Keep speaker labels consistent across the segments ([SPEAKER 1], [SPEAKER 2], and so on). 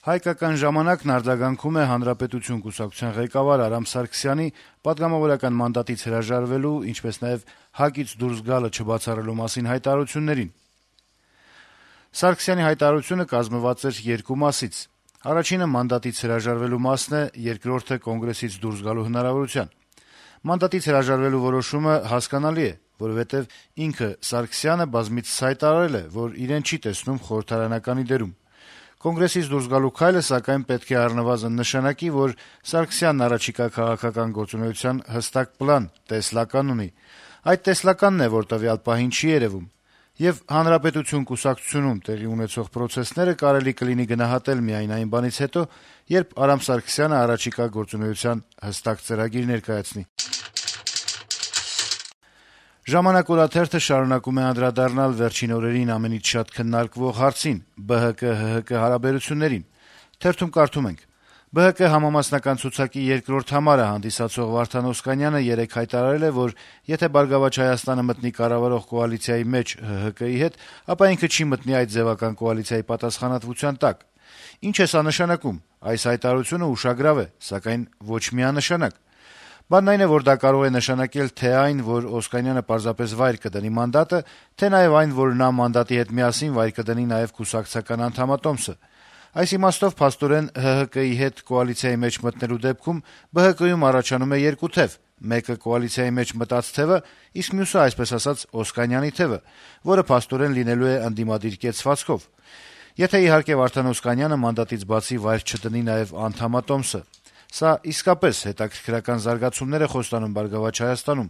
[SPEAKER 1] Հայկական ժամանակն արձագանքում է Հանրապետություն կուսակցության ղեկավար Արամ Սարգսյանի պատգամավորական մանդատից հրաժարվելու, ինչպես նաեւ ՀԱԿ-ից դուրս գալը չբացառելու մասին հայտարարություններին։ Սարգսյանի հայտարարությունը կազմված էր երկու մասից։ Առաջինը մանդատից հրաժարվելու մասն է, երկրորդը կոնգրեսից դուրս գալու հնարավորության։ Մանդատից հրաժարվելու որոշումը հասկանալի է, որովհետեւ ինքը Սարգսյանը բազմիցս հայտարարել է, որ իրեն չի տեսնում խորհրդարանականի դերում։ Կոնգրեսից դուրս գալու քայլը, սակայն, պետք է առնվազն նշանակի, որ Սարգսյանն առաջիկա քաղաքական գործունեության հստակ պլան, տեսլական ունի։ Այդ տեսլականն է, որ տվյալ պահին չի երեւում։ Եվ Հանրապետություն կուսակցությունում տեղի ունեցող պրոցեսները կարելի կլինի գնահատել միայն այն բանից հետո, երբ Արամ Սարգսյանը առաջիկա գործունեության հստակ ծրագիր ներկայացնի։ «Ժամանակ» օրաթերթը շարունակում է անդրադառնալ վերջին օրերին ամենից շատ քննարկվող հարցին՝ ԲՀԿ-ՀՀԿ հարաբերություններին։ Թերթում կարդում ենք. «ԲՀԿ համամասնական ցուցակի երկրորդ համարը հանդիսացող Վարդան Օսկանյանը երեկ հայտարարել է, որ եթե «Բարգավաճ Հայաստանը» մտնի կառավարող կոալիցիայի մեջ ՀՀԿ-ի հետ, ապա ինքը չի մտնի այդ ձևական կոալիցիայի պատասխանատվության տակ։ Ինչ է սա նշանակում։ Այս հայտարարությունը ուշագրավ է, սակայն ոչ միանշանակ։ Բանն այն է, որ դա կարող է նշանակել թե այն, որ Օսկանյանը պարզապես վայր կդնի մանդատը, թե նաև այն, որ նա մանդատի հետ միասին վայր կդնի նաև կուսակցական անդամատոմսը։ Այս իմաստով փաստորեն ՀՀԿ-ի հետ կոալիցիայի մեջ մտնելու դեպքում ԲՀԿ-ում առաջանում է երկու թեւ. մեկը կոալիցիայի մեջ մտած թեւը, իսկ մյուսը, այսպես ասած, Օսկանյանի թեւը, որը փաստորեն լինելու է ընդդիմադիր կեցվածքով։ Եթե իհարկե Վարդան Օսկանյանը մանդատից բացի վայր չդնի նաև անդամատոմսը։ Սա իսկապես հետաքրքրական զարգացումներ է խոստանում «Բարգավաճ Հայաստանում»,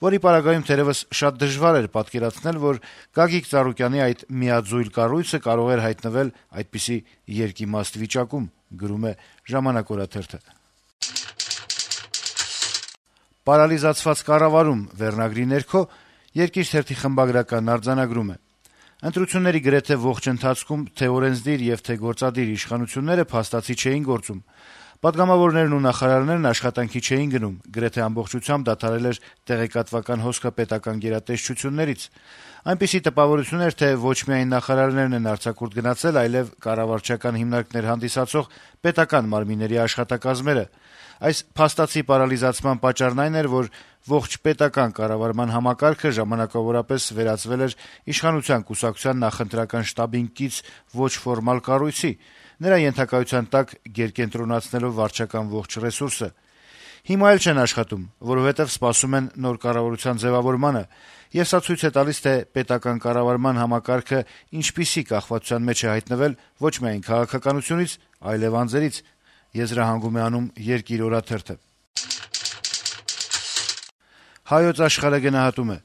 [SPEAKER 1] որի պարագայում թերեւս շատ դժվար էր պատկերացնել, որ Գագիկ Ծառուկյանի այդ միաձույլ կառույցը կարող էր հայտնվել այդպիսի երկիմաստ վիճակում, գրում է «Ժամանակ» օրաթերթը։ «Պարալիզացված կառավարում» վերնագրի ներքո «Երկիր» թերթի խմբագրականն արձանագրում է. «Ընտրությունների գրեթե ողջ ընթացքում թե օրենսդիր եւ թե գործադիր իշխանությունները փաստացի չէին գործում։ Պատգամավորներն ու նախարարներն աշխատանքի չէին գնում, գրեթե ամբողջությամբ դադարել էր տեղեկատվական հոսքը պետական գերատեսչություններից։ Այնպիսի տպավորություն էր, թե ոչ միայն նախարարներն են արձակուրդ գնացել, այլև կառավարչական հիմնարկներ հանդիսացող պետական մարմինների աշխատակազմերը։ Այս փաստացի պարալիզացման պատճառն այն էր, որ ողջ պետական կառավարման համակարգը ժամանակավորապես վերածվել էր իշխանության կուսակցության նախընտրական շտաբին կից ոչ ֆորմալ կառույցի, նրա ենթակայության տակ գերկենտրոնացնելով վարչական ողջ ռեսուրսը։ Հիմա էլ չեն աշխատում, որովհետև սպասում են նոր կառավարության ձևավորմանը, եւ սա ցույց է տալիս, թե պետական կառավարման համակարգը ինչպիսի կախվածության մեջ է հայտնվել ոչ միայն քաղաքականությունից, այլև անձերից», եզրահանգում է անում «Երկիր» օրաթերթը։ «Հայոց Աշխարհ»-ը գնահատում է.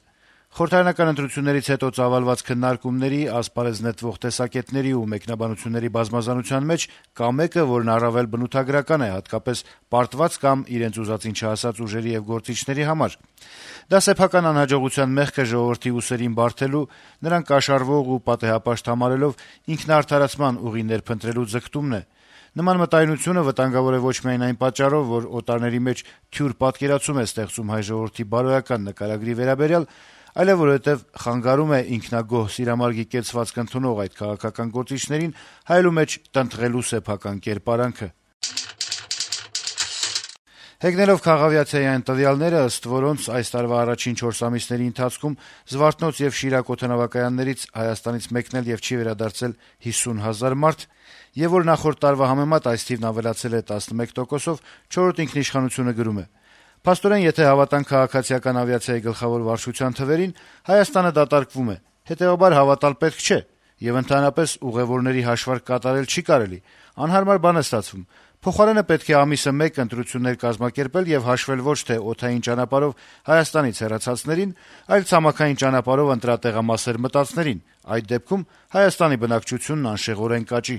[SPEAKER 1] «Խորհրդարանական ընտրություններից հետո ծավալված քննարկումների, ասպարեզ նետվող տեսակետների ու մեկնաբանությունների բազմազանության մեջ կա մեկը, որն առավել բնութագրական է, հատկապես պարտված կամ իրենց ուզածին չհասած ուժերի եւ գործիչների համար։ Դա սեփական անհաջողության մեղքը ժողովրդի ուսերին բարթելու, նրան կաշառվող ու պատեհապաշտ համարելով ինքնաարդարացման ուղիներ փնտրելու ձգտումն է։ Նման մտայնությունը վտանգավոր է ոչ միայն այն պատճառով, որ օտարների մեջ թյուր պատկերացում է ստեղծում հայ ժողովրդի բարոյական նկարագրի վերաբերյալ, այլև որովհետև խանգարում է ինքնագոհ սիրամարգի կեցվածք ընդունող այդ քաղաքական գործիչներին հայելու մեջ տնտղելու սեփական կերպարանքը։ Հեգնելով քաղավիացիայի այն տվյալները, ըստ որոնց այս տարվա առաջին 4 ամիսների ընթացքում Զվարթնոց եւ Շիրակ օդանավակայաններից Հայաստանից մեկնել եւ չի վերադարձել 50,000 մարդ, եւ որ նախորդ տարվա համեմատ այս թիվն ավելացել է 11%-ով, 4-րդ ինքնիշխանությունը գրում է. «Փաստորեն, եթե հավատանք քաղաքացիական ավիացիայի գլխավոր վարչության թվերին, Հայաստանը դատարկվում է, հետեւաբար հավատալ պետք չէ, եւ ընդհանրապես ուղեւորների հաշվարկ կատարել չի կարելի, անհարմար բան է ստացվում։ Փոխարենը պետք է ամիսը 1 ընտրություններ կազմակերպել եւ հաշվել ոչ թե օդային ճանապարհով Հայաստանից հեռացածներին, այլ ցամաքային ճանապարհով ընտրատեղամասեր մտածներին։ Այդ դեպքում Հայաստանի բնակչությունն անշեղորեն կաճի»։